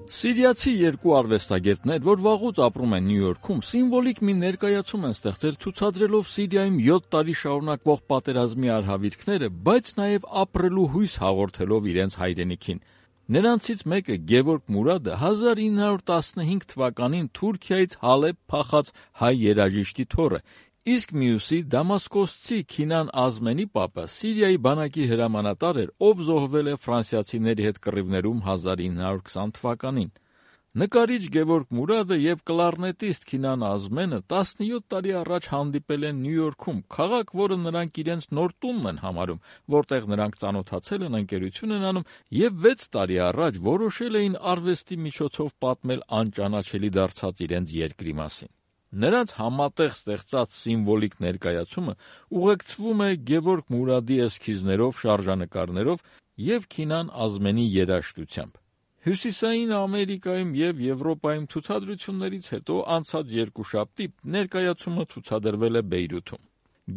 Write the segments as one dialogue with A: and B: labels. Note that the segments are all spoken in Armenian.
A: Սիրիացի երկու արվեստագետներ, որ վաղուց ապրում են Նյու Յորքում, սիմվոլիկ մի ներկայացում են ստեղծել ցուցադրելով Սիրիայում 7 տարի շարունակվող պատերազմի արհավիրքները, բայց նաև ապրելու հույս հաղորդելով իրենց հայրենիքին։ Նրանցից մեկը Գևորգ Մուրադը 1915 թվականին Թուրքիայից Հալեբ փախած հայ երաժիշտի թոռը, իսկ մյուսի դամասկոսցի Քինան Ազմենի պապը Սիրիայի բանակի հրամանատար էր, ով զոհվել է ֆրանսիացիների հետ կռիվներում 1920 թվականին։ Նկարիչ Գևորգ Մուրադը և կլարնետիստ Քինան Ազմենը 17 տարի առաջ հանդիպել են Նյու Յորքում, քաղաք, որը նրանք իրենց նոր տունն են համարում, որտեղ նրանք ծանոթացել են, ընկերություն են անում և 6 տարի առաջ որոշել էին արվեստի միջոցով պատմել անճանաչելի դարձած իրենց երկրի մասին։ Նրանց համատեղ ստեղծած սիմվոլիկ ներկայացումը ուղեկցվում է Գևորգ Մուրադի էսքիզներով, շարժանկարներով և Քինան Ազմենի երաժշտությամբ։ Հյուսիսային Ամերիկայում և Եվրոպայում ցուցադրություններից հետո անցած երկուշաբթի ներկայացումը ցուցադրվել է Բեյրութում։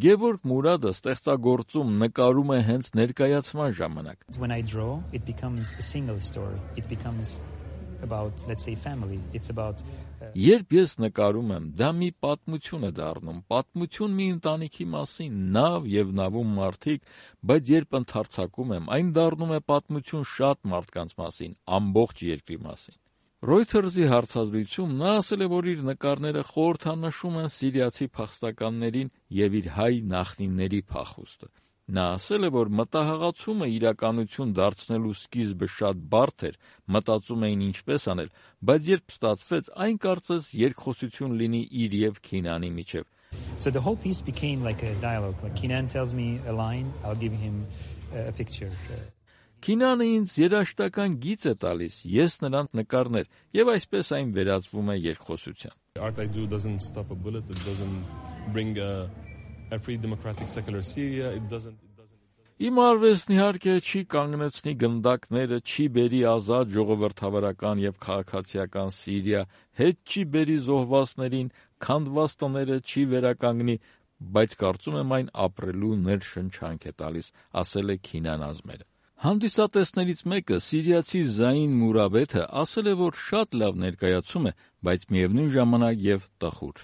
A: Գևորգ Մուրադը ստեղծագործում նկարում է հենց ներկայացման ժամանակ։
B: When I draw, it becomes a single story. It becomes about, let's say, family. It's about
A: Երբ ես նկարում եմ, դա մի պատմություն է դառնում, պատմություն մի ընտանիքի մասին, նավ և նավում մարդիկ, բայց երբ ընդարձակում եմ, այն դառնում է պատմություն շատ մարդկանց մասին, ամբողջ երկրի մասին։ Reuters-ի հարցազրույցում նա ասել է, որ իր նկարները խորհրդանշում են սիրիացի փախստականներին և իր հայ նախնիների փախուստը։ Նա ասել է, որ մտահղացումը իրականություն դարձնելու սկիզբը շատ բարդ էր, մտածում էին ինչպես անել, բայց երբ ստացվեց, այն կարծես երկխոսություն լինի իր և Քինանի միջև։
B: So the whole piece became like a dialogue. Like Kinan tells me a line, I'll give him a picture.
A: Քինանը ինձ երաժշտական գիծ է տալիս, ես նրան նկարներ, և այսպես այն վերածվում է երկխոսության։
C: Art I do doesn't stop a bullet, it doesn't bring a free democratic secular Syria, it doesn't
A: Իմ արվեստն իհարկե չի կանգնեցնի գնդակները, չի բերի ազատ ժողովրդավարական և քաղաքացիական Սիրիա, հետ չի բերի զոհվածներին, քանդված տները չի վերականգնի, բայց կարծում եմ այն ապրելու ներշնչանք է տալիս, ասել է Քինան Ազմենը։ Հանդիսատեսներից մեկը սիրիացի Զային Մուրաբեթը ասել է, որ շատ լավ ներկայացում է, բայց միևնույն ժամանակ և տխուր։